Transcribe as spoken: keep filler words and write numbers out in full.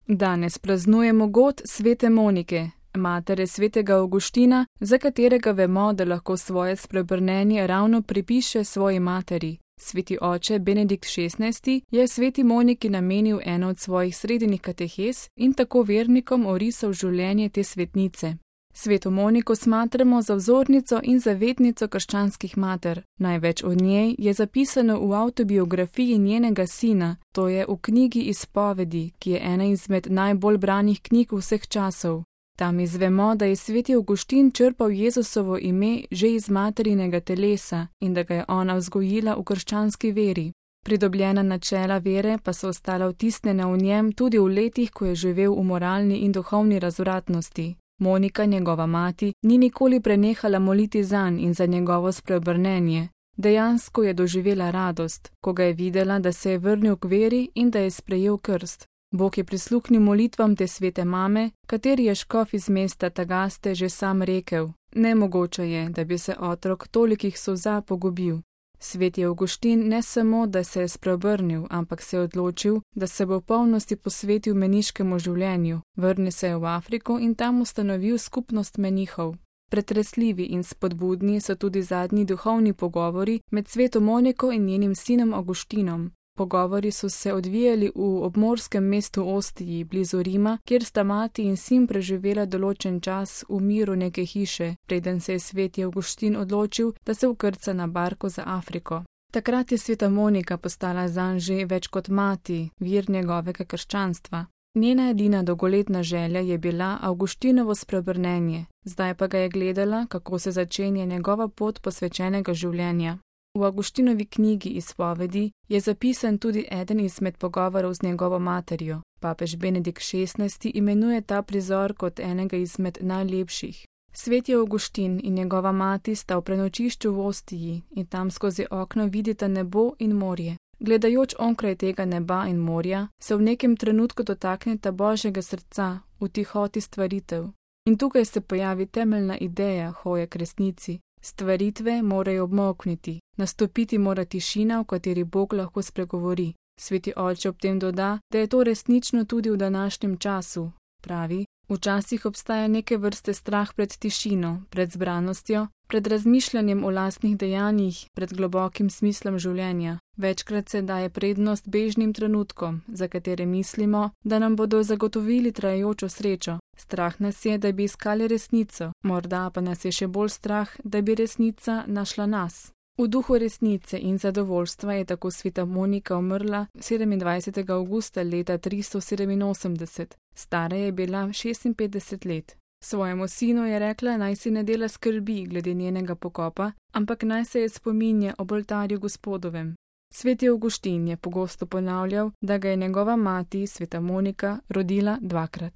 Danes praznujemo god svete Monike, matere svetega Avguština, za katerega vemo, da lahko svoje spreobrnenje ravno pripiše svoji materi. Sveti oče Benedikt šestnajsti je sveti Moniki namenil eno od svojih srednjih katehes in tako vernikom orisal življenje te svetnice. Sveto Moniko smatramo za vzornico in zavetnico krščanskih mater. Največ o njej je zapisano v avtobiografiji njenega sina, to je v knjigi Izpovedi, ki je ena izmed najbolj branih knjig vseh časov. Tam izvemo, da je sveti Avguštin črpal Jezusovo ime že iz materinega telesa in da ga je ona vzgojila v krščanski veri. Pridobljena načela vere pa so ostala vtisnjena v njem tudi v letih, ko je živel v moralni in duhovni razvratnosti. Monika, njegova mati, ni nikoli prenehala moliti zanj in za njegovo spreobrnenje. Dejansko je doživela radost, ko ga je videla, da se je vrnil k veri in da je sprejel krst. Bog je prisluhnil molitvam te svete mame, kateri je škof iz mesta Tagaste že sam rekel: nemogoče je, da bi se otrok tolikih solza pogubil. Sveti Avguštin ne samo, da se je spreobrnil, ampak se je odločil, da se bo v polnosti posvetil meniškemu življenju, vrnil se je v Afriko in tam ustanovil skupnost menihov. Pretresljivi in spodbudni so tudi zadnji duhovni pogovori med sveto Moniko in njenim sinom Avguštinom. Pogovori so se odvijali v obmorskem mestu Ostiji, blizu Rima, kjer sta mati in sin preživela določen čas v miru neke hiše, preden se je sveti Avguštin odločil, da se vkrca na barko za Afriko. Takrat je sveta Monika postala zanj že več kot mati, vir njegovega krščanstva. Njena edina dolgoletna želja je bila Avguštinovo spreobrnenje, zdaj pa ga je gledala, kako se začenja njegova pot posvečenega življenja. V Avguštinovi knjigi Izpovedi je zapisan tudi eden izmed pogovorov z njegovo materjo. Papež Benedikt šestnajsti imenuje ta prizor kot enega izmed najlepših. Sveti Avguštin in njegova mati sta v prenočišču v Ostiji in tam skozi okno vidita nebo in morje. Gledajoč onkraj tega neba in morja, se v nekem trenutku dotakneta Božjega srca v tihoti stvaritev. In tukaj se pojavi temeljna ideja hoje k resnici. Stvaritve morajo obmolkniti, nastopiti mora tišina, v kateri Bog lahko spregovori. Sveti oče ob tem doda, da je to resnično tudi v današnjem času. Pravi, včasih obstaja neke vrste strah pred tišino, pred zbranostjo, pred razmišljanjem o lastnih dejanjih, pred globokim smislom življenja. Večkrat se daje prednost bežnim trenutkom, za katere mislimo, da nam bodo zagotovili trajajočo srečo. Strah nas je, da bi iskali resnico, morda pa nas je še bolj strah, da bi resnica našla nas. V duhu resnice in zadovoljstva je tako sveta Monika umrla sedemindvajsetega avgusta leta tristo sedeminosemdeset. Stara je bila šestinpetdeset let. Svojemu sinu je rekla, naj si ne dela skrbi glede njenega pokopa, ampak naj se je spominja ob oltarju Gospodovem. Sveti Avguštin je pogosto ponavljal, da ga je njegova mati, sveta Monika, rodila dvakrat.